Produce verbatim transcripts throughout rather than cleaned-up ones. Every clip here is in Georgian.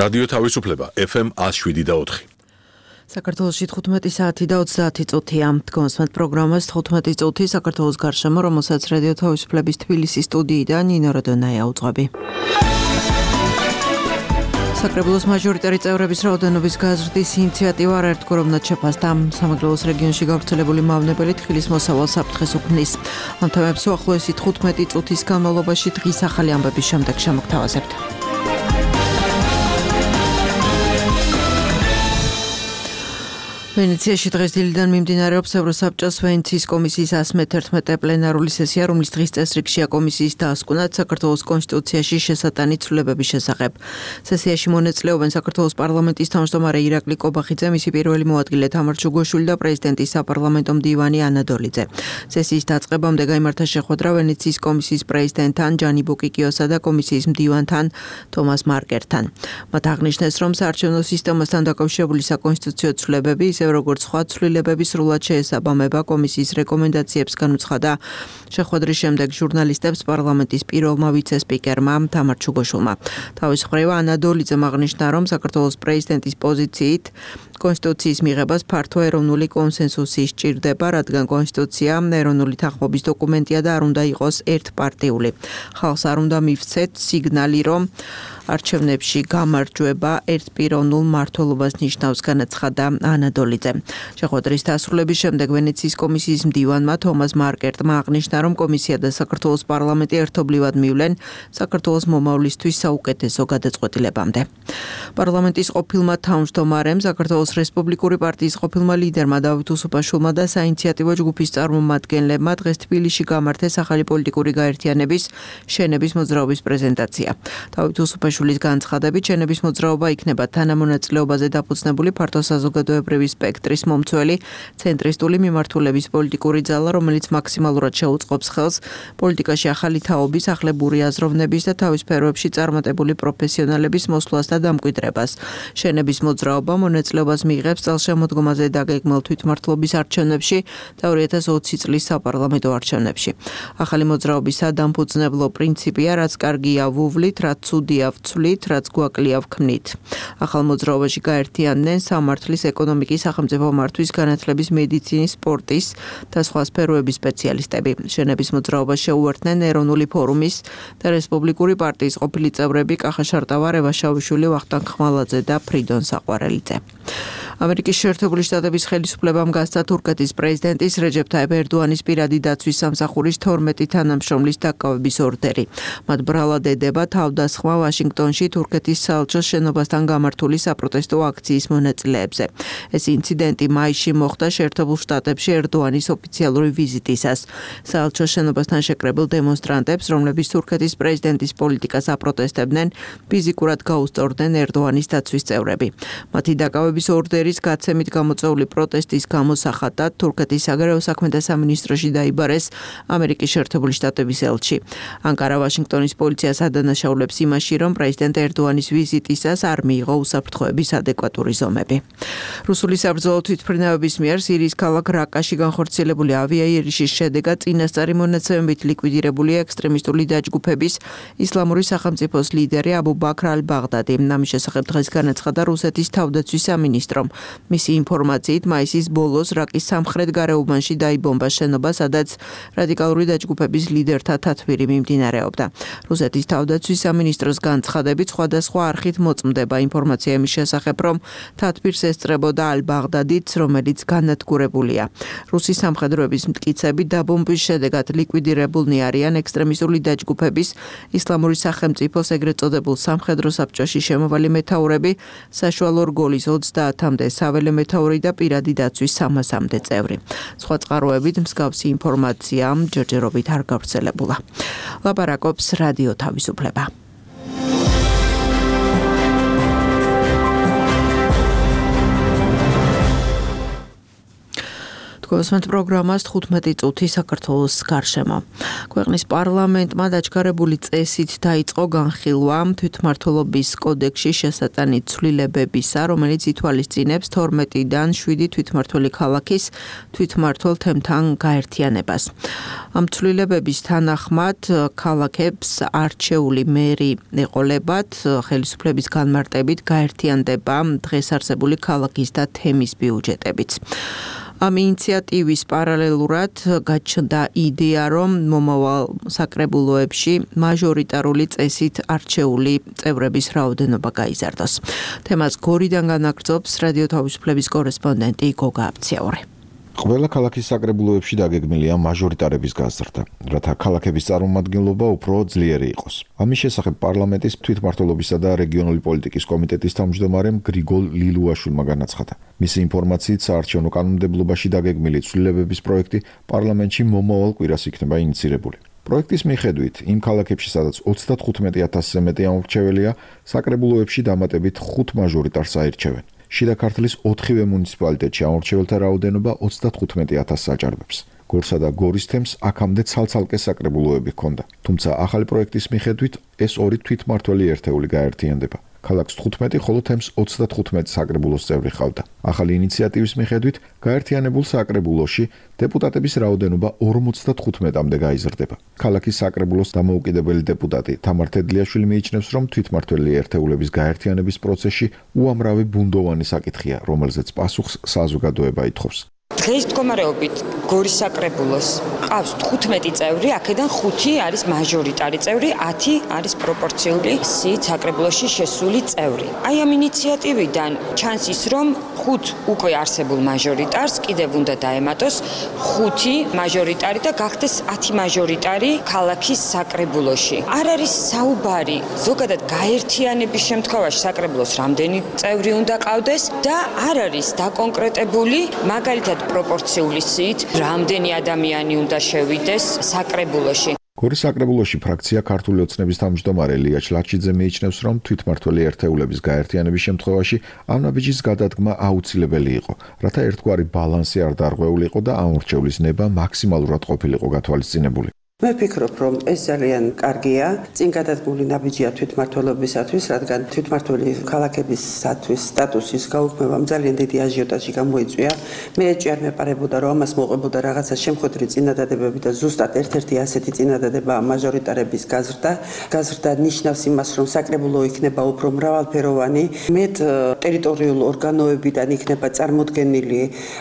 რადიო თავისუფლება ეფ ემ one oh seven და four. საქართველოში თხუთმეტი საათი და ოცდაათი წუთია. Დგომსმენთ პროგრამას თხუთმეტი წუთი საქართველოს გარშემო, რომელსაც რადიო თავისუფლების თბილისის სტუდიიდან ნინო როდონაია უძღვები. საკრებულოს მაჟორიტარი წევრების რაოდენობის გაზრდის ინიციატივა არაერთგვაროვნად შეფასდა. სამეგრელოს რეგიონში გავრცელებული მავნებელი თხილის მოსავალ საფრთხეს უქმნის. ამ თემებს უახლოესი თხუთმეტი წუთის განმავლობაში დღის ახალი ამბების შემდეგ შემოგთავაზებთ. ვენეციაში დღეს დილიდან მიმდინარეობს ევროსაბჭოს ვენეციის კომისიის one hundred eleven პლენარული სესია, რომლის დღის წესრიგშია კომისიის დასკვნად საქართველოს კონსტიტუციაში შესატანი ცვლილებების შესახებ. სესიაში მონაწილეობენ საქართველოს პარლამენტის თავმჯდომარე ირაკლი კობახიძე, მისი პირველი მოადგილე თამარ ჩუგოშვილი და პრეზიდენტის საპარლამენტო მდივანი ანა დოლიძე. სესიის დაწყებამდე გაიმართა შეხვედრა ვენეციის კომისიის პრეზიდენტთან ჯანი ბუკიკიოსა და კომისიის მდივანთან თომას მარკერთან. მათ აღნიშნეს, რომ საარჩევნო სისტემასთან დაკავშირებული საკონსტიტუციო ცვლილებები როგორც სხვა ცვლილებების სრულად შეესაბამება კომისიის რეკომენდაციებს განუცხადა შეხვედრის შემდეგ ჟურნალისტებს პარლამენტის პირველმა ვიცე-სპიკერმა თამარ ჩუგოშვილმა. თავის მხრივ ანა დოლიძემ აღნიშნა, რომ საქართველოს პრეზიდენტის პოზიციით კონსტიტუციის მიღებას ფართო ეროვნული კონსენსუსი სჭირდება, რადგან კონსტიტუცია ეროვნული თანხმობის დოკუმენტია და არ უნდა იყოს ერთპარტიული. ხალხს არ უნდა მივცეთ სიგნალი, რომ არჩევნებში გამარჯვება ერთპიროვნულ მმართველობას ნიშნავს, განაცხადა ანა დოლიძე. შეხვედრის დასრულების შემდეგ ვენეციის კომისიის მდივანმა თომას მარკერტმა აღნიშნა, რომ კომისია და საქართველოს პარლამენტი ერთობლივად მივლენ საქართველოს მომავლისთვის საუკეთესო გადაწყვეტილებამდე. პარლამენტის ყოფილმა თავმჯდომარემ, საქართველოს რესპუბლიკური პარტიის ყოფილმა ლიდერმა დავით უსუპაშვილმა და საინიციატივო ჯგუფის წარმომადგენლებმა დღეს თბილისში გამართეს ახალი პოლიტიკური გაერთიანების შენების მოძრაობის პრეზენტაცია. დავით უსუპაშვილის განცხადებით, შენების მოძრაობა იქნება თანამონაწილეობაზე დაფუძნებული ფართო საზოგადოებრივი სპექტრის მომცველი ცენტრისტული მიმართულების პოლიტიკური ძალა, რომელიც მაქსიმალურად შეუწყობს ხელს პოლიტიკაში ახალი თაობის, ახლებური აზროვნების და თავის სფეროებში წარმატებული პროფესიონალების მოსვლას და დამკვიდრებას. შენების მოძრაობა მონაწილეობას მიიღებს წელშემოდგომაზე დაგეგმილ თვითმმართველობის არჩევნებში და ორი ათას ოცი წლის საპარლამენტო არჩევნებში. ახალი მოძრაობის სადამფუძნებლო პრინციპია, რაც კარგია ვუვლით, რაც ცუდია ვცვლით, რაც გვაკლია ვქმნით. ახალ მოძრაობაში გაერთიანდნენ სამართლის, ეკონომიკის, სახელმწიფო მართვის, განათლების, მედიცინის, სპორტის და სხვა სფეროების სპეციალისტები. შენების მოძრაობას შეუერთდნენ ეროვნული ფორუმის და რესპუბლიკური პარტიის ყოფილი წევრები კახა შარტავა, რევა შავიშვილი, ვახტანგ ხმალაძე და ფრიდონ საყვარელიძე. ამერიკის შეერთებული შტატების ხელისუფლებამ გასცა თურქეთის პრეზიდენტის რეჯეფ ტაიპ ერდოანის პირადი დაცვის სამსახურის თორმეტი თანამშრომლის დაკავების ორდერი. მათ ბრალად ედება თავდასხმა ვაშინგტონში თურქეთის საელჩოს შენობასთან გამართული საპროტესტო აქციის მონაწილეებზე. ეს ინციდენტი მაისში მოხდა შეერთებულ შტატებში ერდოანის ოფიციალური ვიზიტისას. საელჩოს შენობასთან შეკრებილ დემონსტრანტებს, რომლებიც თურქეთის პრეზიდენტის პოლიტიკას აპროტესტებდნენ, ფიზიკურად გაუსწორდნენ ერდოანის დაცვის წევრები. მათი დაკავების ორდერის გაცემით გამოწვეული პროტესტის გამოსახატად თურქეთის საგარეო საქმეთა სამინისტროში დაიბარეს ამერიკის შეერთებული შტატების ელჩი. ანკარა ვაშინგტონის პოლიციას ადანაშაულებს იმაში, რომ პრეზიდენტ ერდოანის ვიზიტისას არ მიიღო უსაფრთხოების ადეკვატური ზომები. რუსული საბრძოლო თვითმფრინავების მიერ სირიის ქალაქ რაკაში განხორციელებული ავიაიერიშის შედეგად წინასწარი მონაცემებით ლიკვიდირებულია ექსტრემისტული დაჯგუფების ისლამური სახელმწიფოს ლიდერი აბუ ბაქრ ალ-ბაღდადი. ამის შესახებ დღეს განაცხადა რუსეთის თავდაცვის სამინისტრომ. მისი ინფორმაციით, მაისის ბოლოს რაკის სამხრეთ გარეუბანში დაიბომბა შენობა, სადაც რადიკალური დაჯგუფების ლიდერთა თათბირი მიმდინარეობდა. რუსეთის თავდაცვის სამინისტროს განცხადებით, სხვადასხვა არხით მოწმდება ინფორმაცია იმის შესახებ, რომ თათბირს ესწრებოდა ალ-ბაღდადიც, რომელიც განადგურებულია. რუსი სამხედროების მტკიცებით დაბომბვის შედეგად ლიკვიდირებულნი არიან ექსტრემისტული დაჯგუფების ისლამური სახელმწიფოს ეგრეთ წოდებულ სამხედრო საბჭოში შემავალი მეთაურები, საშუალო რგოლის ოცდაათამდე საველე მეთაური და პირადი დაცვის სამასამდე წევრი. სხვა წყაროებით მსგავსი ინფორმაცია ჯერჯერობით არ გავრცელებულა. ლაპარაკობს რადიო თავისუფლება. გოსმენთ პროგრამას თხუთმეტი წუთი საქართველოს გარშემო. ქვეყნის პარლამენტმა დაჩქარებული წესით დაიწყო განხილვა თვითმმართველობის კოდექსში შესატანი ცვლილებებისა, რომელიც ითვალისწინებს თორმეტიდან შვიდი თვითმმართველი ქალაქის თვითმმართველ თემთან გაერთიანებას. ამ ცვლილებების თანახმად ქალაქებს არჩეული მერი ეყოლებათ, ხელისუფლების განმარტებით გაერთიანდება დღეს არსებული ქალაქის და თემის ბიუჯეტებიც. ამ ინიციატივის პარალელურად გაჩნდა იდეა, რომ მომავალ საკრებულოებში მაჟორიტარული წესით არჩეული წევრების რაოდენობა გაიზარდოს. თემას გორიდან განაგრძობს რადიო თავისუფლების კორესპონდენტი გოგა აბციაური. ყველა ქალაქის საკრებულოებში დაგეგმილია მაჟორიტარების გაზრდა, რათა ქალაქების წარმომადგენლობა უფრო ძლიერი იყოს. ამის შესახებ პარლამენტის თვითმმართველობისა და რეგიონული პოლიტიკის კომიტეტის თავმჯდომარემ გრიგოლ ლილუაშვილმა განაცხადა. მისი ინფორმაციით, საარჩევნო კანონმდებლობაში დაგეგმილი ცვლილებების პროექტი პარლამენტში მომავალ კვირას იქნება ინიცირებული. პროექტის მიხედვით, იმ ქალაქებში, სადაც ოცდათხუთმეტი ათასზე მეტი ამორჩეველია, საკრებულოებში დამატებით ხუთ მაჟორიტარს აირჩევენ. შიდა ქართლის ოთხივე მუნიციპალიტეტში ამორჩეველთა რაოდენობა ოცდათხუთმეტი ათასს აჭარბებს. გორსა და გორის თემს აქამდე ცალ-ცალკე საკრებულოები ჰქონდა, თუმცა ახალი პროექტის მიხედვით ეს ორი თვითმმართველი ერთეული გაერთიანდება. ქალაქს თხუთმეტი, ხოლო თემს ოცდათხუთმეტი საკრებულოს წევრი ჰყავდა. ახალი ინიციატივის მიხედვით გაერთიანებულ საკრებულოში დეპუტატების რაოდენობა ორმოცდათხუთმეტამდე გაიზრდება. ქალაქის საკრებულოს დამოუკიდებელი დეპუტატი თამარ თედლიაშვილი მიიჩნევს, რომ თვითმმართველი ერთეულების გაერთიანების პროცესში უამრავი ბუნდოვანი საკითხია, რომელზეც პასუხს საზოგადოება ითხოვს. დღეს მდგომარეობით გორის საკრებულოს ყავს თხუთმეტი წევრი, აქედან ხუთი არის მაჟორიტარი წევრი, ათი არის პროპორციული სიით საკრებულოში შესული წევრი. აი ამ ინიციატივიდან ჩანს ის, რომ ხუთ უკვე არსებულ მაჟორიტარს კიდევ უნდა დაემატოს ხუთი მაჟორიტარი და გახდეს ათი მაჟორიტარი ქალაქის საკრებულოში. არ არის საუბარი ზოგადად გაერთიანების შემთხვევაში საკრებულოს რამდენი წევრი უნდა ყავდეს და არ არის დაკონკრეტებული მაგალითად პროპორციული სიით რამდენი ადამიანი უნდა შევიდეს საკრებულოში. გორის საკრებულოში ფრაქცია ქართული ოცნების თავმჯდომარე ლია ჩლაჩიძე მიიჩნევს, რომ თვითმმართველი ერთეულების გაერთიანების შემთხვევაში ამ ნაბიჯის გადადგმა აუცილებელი იყო, რათა ერთგვარი ბალანსი არ დარღვეულიყო და ამორჩევლის ნება მაქსიმალურად ყოფილიყო გათვალისწინებული. მე ვფიქრობ, რომ ეს ძალიან კარგია, წინ გადადგმული ნაბიჯია თვითმმართველობისათვის, რადგან თვითმმართველი ქალაქებისათვის სტატუსის გაუქმებამ ძალიან დიდი აჟიოტაჟი გამოიწვია. მე ეჭვი არ მეპარებოდა, რომ ამას მოყვებოდა რაღაცა შემხვედრი წინადადებები და ზუსტად ერთ-ერთი ასეთი წინადადება მაჟორიტარების გაზრდა. გაზრდა ნიშნავს იმას, რომ საკრებულო იქნება უფრო მრავალფეროვანი, მეტ ტერიტორიულ ორგანოებიდან იქნება წარმოდგენილი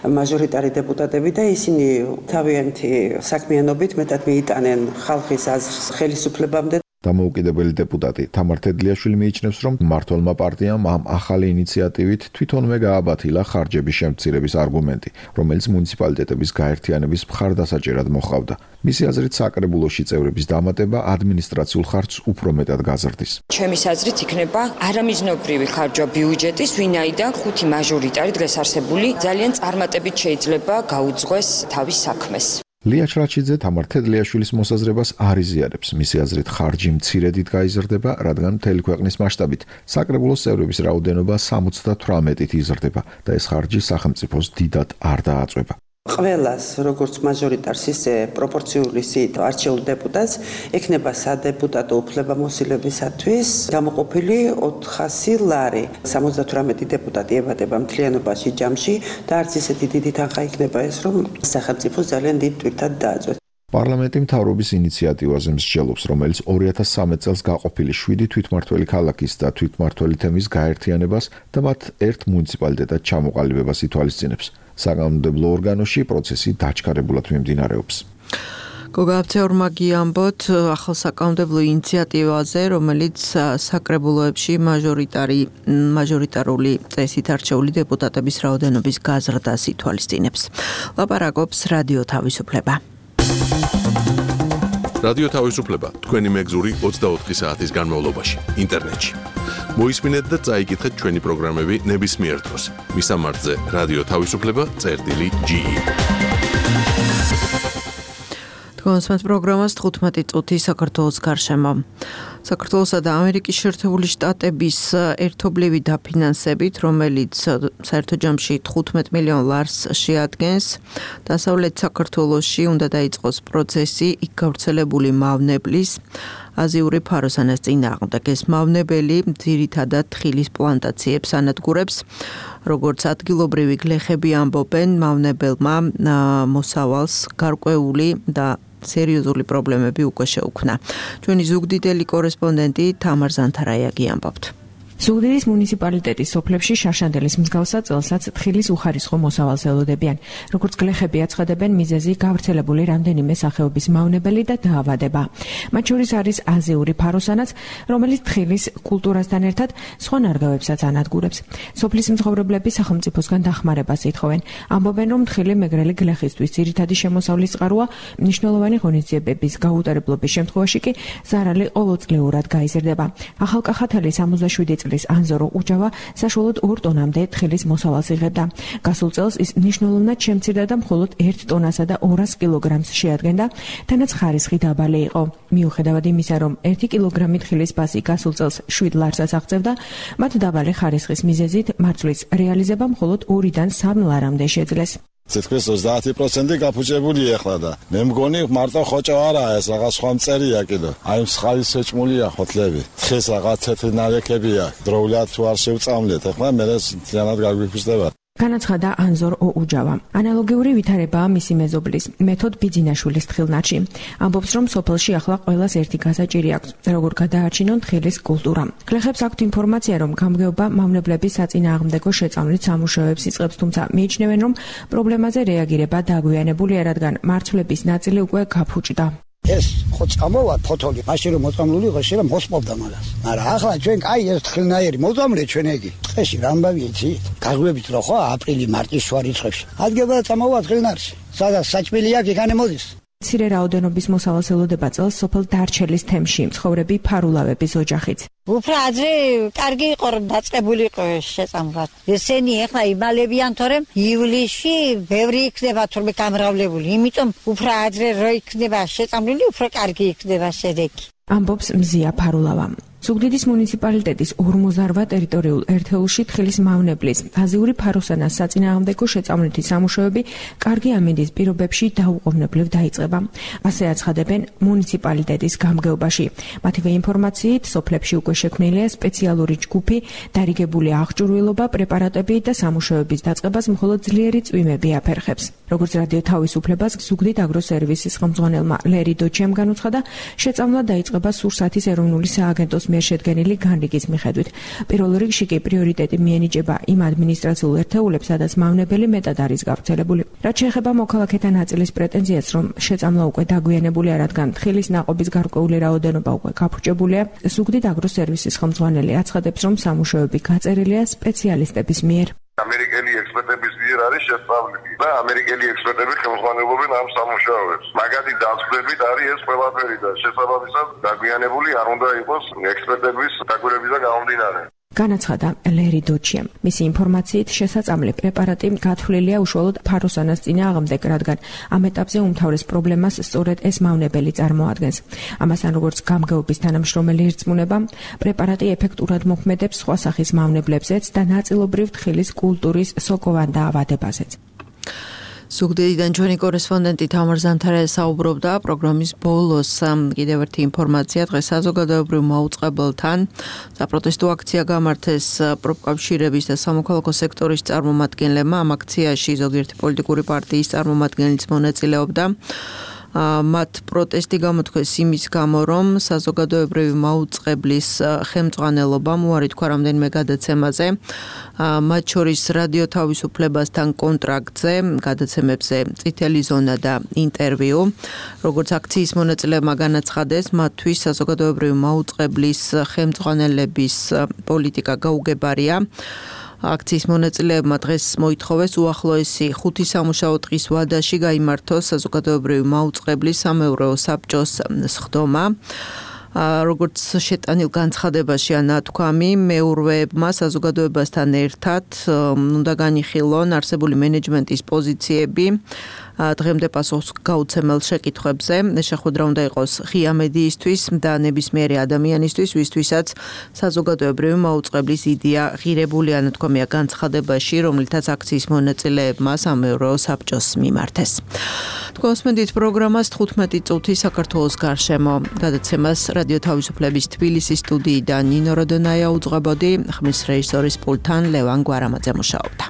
მაჟორიტარი დეპუტატები და ისინი თავიანთი საქმიანობით მეტად მიიტანენ ხალხის აზრს ხელისუფლებამდე. დამოუკიდებელი დეპუტატი თამარ თედლიაშვილი მიიჩნევს, რომ მმართველმა პარტიამ ამ ახალი ინიციატივით თვითონვე გააბათილა ხარჯების შემცირების არგუმენტი, რომელიც მუნიციპალიტეტების გაერთიანების მხარდასაჭერად მოჰყავდა. მისი აზრით, საკრებულოში წევრების დამატება ადმინისტრაციულ ხარჯს უფრო მეტად გაზრდის. ჩემის აზრით იქნება არამიზნობრივი ხარჯვა ბიუჯეტის, ვინაიდან ხუთი მაჟორიტარი დღეს არსებული ძალიან წარმატებით შეიძლება გაუძღვეს თავის საქმეს. ლია ჩლაჩიძე თამარ თედლიაშვილის მოსაზრებას არ იზიარებს. მისი აზრით, ხარჯი მცირედით გაიზრდება, რადგან მთელი ქვეყნის მასშტაბით საკრებულოს წევრების რაოდენობა სამოცდათვრამეტით იზრდება და ეს ხარჯი სახელმწიფოს დიდად არ დააწვება. ყველას, როგორც მაჟორიტარს, ისე პროპორციული სიით არჩეულ დეპუტატს ექნება სადეპუტატო უფლებამოსილებისათვის გამოყოფილი ოთხასი ლარი. სამოცდათვრამეტი დეპუტატი ებადება მთლიანობაში ჯამში და არც ისეთი დიდი თანხა იქნება ეს, რომ სახელმწიფოს ძალიან დიდ ტვირთად დააწვეს. პარლამენტი მთავრობის ინიციატივაზე მსჯელობს, რომელიც ორი ათას სამი წელს გაყოფილი შვიდი თვითმმართველი ქალაქის და თვითმმართველი თემის გაერთიანებას და მათ ერთ მუნიციპალიტეტად ჩამოყალიბებას ითვალისწინებს. საკანონმდებლო ორგანოში პროცესი დაჩქარებულად მიმდინარეობს. გოგა აბციაურმა გიამბოთ ახალ საკანონმდებლო ინიციატივაზე, რომელიც საკრებულოებში მაჟორიტარი მაჟორიტარული წესით არჩეული დეპუტატების რაოდენობის გაზრდას ითვალისწინებს. ლაპარაკობს რადიო თავისუფლება. რადიო თავისუფლება თქვენი მეგზური ოცდაოთხი საათის განმავლობაში ინტერნეტში. მოისმინეთ და წაიკითხეთ ჩვენი პროგრამები ნებისმიერ დროს. მისამართზე რადიო თავისუფლება წერტილი ჯი. გონსმენთ პროგრამას თხუთმეტი წუთი საქართველოს გარშემო. საქართველოსა და ამერიკის შეერთებული შტატების ერთობლივი დაფინანსებით, რომელიც საერთო ჯამში თხუთმეტ მილიონ ლარს შეადგენს, დასავლეთ საქართველოში უნდა დაიწყოს პროცესი იქ გავრცელებული მავნებლის აზიური ფაროსანას წინააღმდეგ. ეს მავნებელი ძირითადად თხილის პლანტაციებს ანადგურებს, როგორც ადგილობრივი გლეხები ამბობენ, მავნებელმა მოსავალს გარკვეული და სერიოზული პრობლემები უკვე შეუქმნა. ჩვენი ზუგდიდელი კორესპონდენტი თამარ ზანთარაიაგი ამბობთ. ზუგდიდის მუნიციპალიტეტის სოფლებში შარშანდელის მსგავსად წელსაც თხილის უხარისხო მოსავალს ელოდებიან. როგორც გლეხები აცხადებენ, მიზეზი გავრცელებული რამდენიმე სახეობის მავნებელი და დაავადება. მათ შორის არის აზიური ფაროსანაც, რომელიც თხილის კულტურასთან ერთად სხვა ნარგავებსაც ანადგურებს. სოფლის მცხოვრებლები სახელმწიფოსგან დახმარებას ითხოვენ. ამბობენ, რომ თხილი მეგრელი გლეხისთვის ძირითადი შემოსავლის წყაროა, მნიშვნელოვანი ღონისძიებების გაუტარებლობის შემთხვევაში კი ზარალი ყოველწლიურად გაიზრდება. ახალკახათალის სამოცდაშვიდი წლის ანზორო უჯავა საშუალოდ ორ ტონამდე თხილის მოსავალს იღებდა. გასულ წელს ის მნიშვნელოვნად შემცირდა და მხოლოდ ერთ ტონასა და ორას კილოგრამს შეადგენდა, თანაც ხარისხი დაბალი იყო. მიუხედავად იმისა, რომ ერთი კილოგრამი თხილის ფასი გასულ წელს შვიდ ლარსაც აღწევდა, მათ დაბალი ხარისხის მიზეზით მარცვლის რეალიზება მხოლოდ ორიდან სამ ლარამდე შეძლეს. თითქმის ოცდაათი პროცენტი გაფუჭებულია ახლა და მე მგონი მარტო ხოჭო არაა ეს რაღაც სხვა მწერია კიდე. აი მსხალი შეჭმულია ხოთლები. თხეს რაღაც თეთრი ნალექებია. დროულად თუ არ შევწამლეთ, ახლა მე ძალიანად გაგვიფრთხდება. განაცხადა ანზორ ოუჯავა. ანალოგიური ვითარებაა მისი მეზობლის მეთოდ ბიძინაშვილის თხილნარში. ამბობს, რომ სოფელში ახლა ყველას ერთი გასაჭირი აქვს, როგორ გადააჩინონ თხილის კულტურა. გლეხებს აქვთ ინფორმაცია, რომ გამგეობა მავნებლების საწინააღმდეგო შეწამვლით სამუშაოებს იწყებს, თუმცა მიიჩნევენ, რომ პრობლემაზე რეაგირება დაგვიანებულია, რადგან მარცვლების ნაწილი უკვე გაფუჭდა. ეს ხო წამოვა ფოთოლი, მაშინ რომ მოწამლული იყო, შეიძლება მოსპობდა მაგას. მაგრამ ახლა ჩვენ აი ეს თხილნაირი მოწამლე ჩვენ ეგი. წეში რამბავი იცი? გაგვებით რო ხო აპრილი, მარტი შუა რიცხვებში. ადგება წამოვა თხილნარში. სადაც საჭმელი აქვს, იქ მოდის. მცირე რაოდენობის მოსავალს ელოდება წელს სოფელ დარჩელის თემში მცხოვრები ფარულავების ოჯახიც. უფრო ადრე კარგი იყო რომ დაწყებული იყო შეწამვლად. ესენი ახლა იმალებიან, თორემ ივლისში ბევრი იქნება თორმე გამრავლებული. იმიტომ უფრო ადრე რო იქნება შეწამლული, უფრო კარგი იქნება შედეგი. ამბობს მზია ფარულავა. ზუგდიდის მუნიციპალიტეტის ორმოცდაოთხ ტერიტორიულ ერთეულში თხილის მავნებლის აზიური ფაროსანას საწინააღმდეგო შეწამვლითი სამუშაოები კარგი ამინდის პირობებში დაუყოვნებლივ დაიწყება. ასე აცხადებენ მუნიციპალიტეტის გამგეობაში. მათივე ინფორმაციით, სოფლებში უკვე შექმნილია სპეციალური ჯგუფი, დარიგებული აღჭურვილობა, პრეპარატები და სამუშაოების დაწყებას მხოლოდ ძლიერი წვიმები აფერხებს. როგორც რადიო თავისუფლებას ზუგდიდ აგროსერვისის ხელმძღვანელმა ლერი დოჩემ განუცხადა, შეწამვლა დაიწყება სურსათის ეროვნული სააგენტოს მიერ შედგენილი განრიგის მიხედვით. პირველ რიგში კი პრიორიტეტი მიენიჭება იმ ადმინისტრაციულ ერთეულებს, სადაც მავნებელი მეტად არის გავრცელებული. რაც შეეხება მოქალაქეთა ნაწილის პრეტენზიას, რომ შეწამვლა უკვე დაგვიანებულია, რადგან თხილის ნაყოფის გარკვეული რაოდენობა უკვე გაფუჭებულია, ზუგდიდ აგროსერვისის ხელმძღვანელი აცხადებს, რომ სამუშაოები გაწერილია სპეციალისტების მიერ. ამერიკელი ექსპერტების მიერ არის შესწავლილი და ამერიკელი ექსპერტები ხელმძღვანელობენ ამ სამუშაოებს. მაგათი დასწრებით არის ეს ყველაფერი და შესაბამისად დაგვიანებული არ უნდა იყოს ექსპერტების დაკვირვებიდან გამომდინარე. განაცხადა ლერი დოჩიამ. მისი ინფორმაციით შესაწამლი პრეპარატი გათვლილია უშუალოდ ფაროსანას წინააღმდეგ, რადგან ამ ეტაპზე უმთავრეს პრობლემას სწორედ ეს მავნებელი წარმოადგენს. ამასთან, როგორც გამგეობის თანამშრომელი ერწმუნება, პრეპარატი ეფექტურად მოქმედებს სხვა სახის მავნებლებზეც და ნაწილობრივ თხილის კულტურის სოკოვან დაავადებაზეც. ზუგდიდიდან ჩვენი კორესპონდენტი თამარ ზანთარაია საუბრობდა პროგრამის ბოლოს. კიდევ ერთი ინფორმაცია, დღეს საზოგადოებრივ მაუწყებელთან საპროტესტო აქცია გამართეს პროფკავშირების და სამოქალაქო სექტორის წარმომადგენლებმა. ამ აქციაში ზოგიერთი პოლიტიკური პარტიის წარმომადგენლიც მონაწილეობდა. მათ პროტესტი გამოთქვეს იმის გამო, რომ საზოგადოებრივი მაუწყებლის ხელმძღვანელობამ უარი თქვა რამდენიმე გადაცემაზე, მათ შორის რადიო თავისუფლებასთან კონტრაქტზე, გადაცემებზე წითელი ზონა და ინტერვიუ. როგორც აქციის მონაწილეებმა განაცხადეს, მათთვის საზოგადოებრივი მაუწყებლის ხელმძღვანელების პოლიტიკა გაუგებარია. აქციის მონაწილეებმა დღეს მოითხოვეს უახლოესი ხუთი სამუშაო დღის ვადაში გაიმართოს საზოგადოებრივი მაუწყებლის სამეურვეო საბჭოს სხდომა. როგორც შეტანილ განცხადებაში ანათქვამი, მეურვეებმა საზოგადოებასთან ერთად უნდა განიხილონ არსებული მენეჯმენტის პოზიციები, დღემდე პასუხს გაუცემელ შეკითხვებზე შეხვედრა უნდა იყოს ღია მედიისთვის და ნებისმიერი ადამიანისთვის, ვისთვისაც საზოგადოებრივი მაუწყებლის იდეა ღირებული ანათქვამია განცხადებაში, რომლითაც აქციის მონაწილეებმა სამეურვეო საბჭოს მიმართეს. თქვენ მოსმენთ პროგრამას თხუთმეტი წუთი საქართველოს გარშემო. გადაცემას რადიო თავისუფლების თბილისის სტუდიიდან ნინო როდონაია უძღვებოდი, ხმის რეჟისორის პულტთან ლევან გვარამაძე მუშაობდა.